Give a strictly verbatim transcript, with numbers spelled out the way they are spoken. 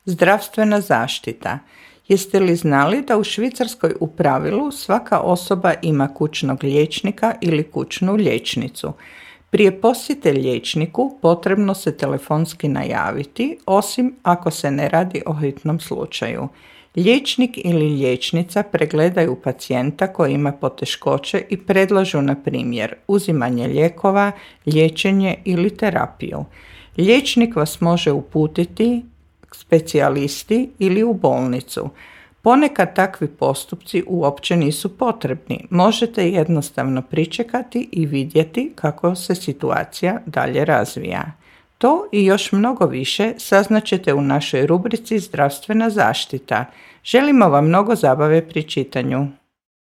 Zdravstvena zaštita. Jeste li znali da u Švicarskoj u pravilu svaka osoba ima kućnog liječnika ili kućnu liječnicu? Prije posjete liječniku potrebno se telefonski najaviti, osim ako se ne radi o hitnom slučaju. Liječnik ili liječnica pregledaju pacijenta koji ima poteškoće i predlažu, na primjer, uzimanje lijekova, liječenje ili terapiju. Liječnik vas može uputiti k specijalisti ili u bolnicu. Ponekad takvi postupci uopće nisu potrebni. Možete jednostavno pričekati i vidjeti kako se situacija dalje razvija. To i još mnogo više saznaćete u našoj rubrici Zdravstvena zaštita. Želimo vam mnogo zabave pri čitanju.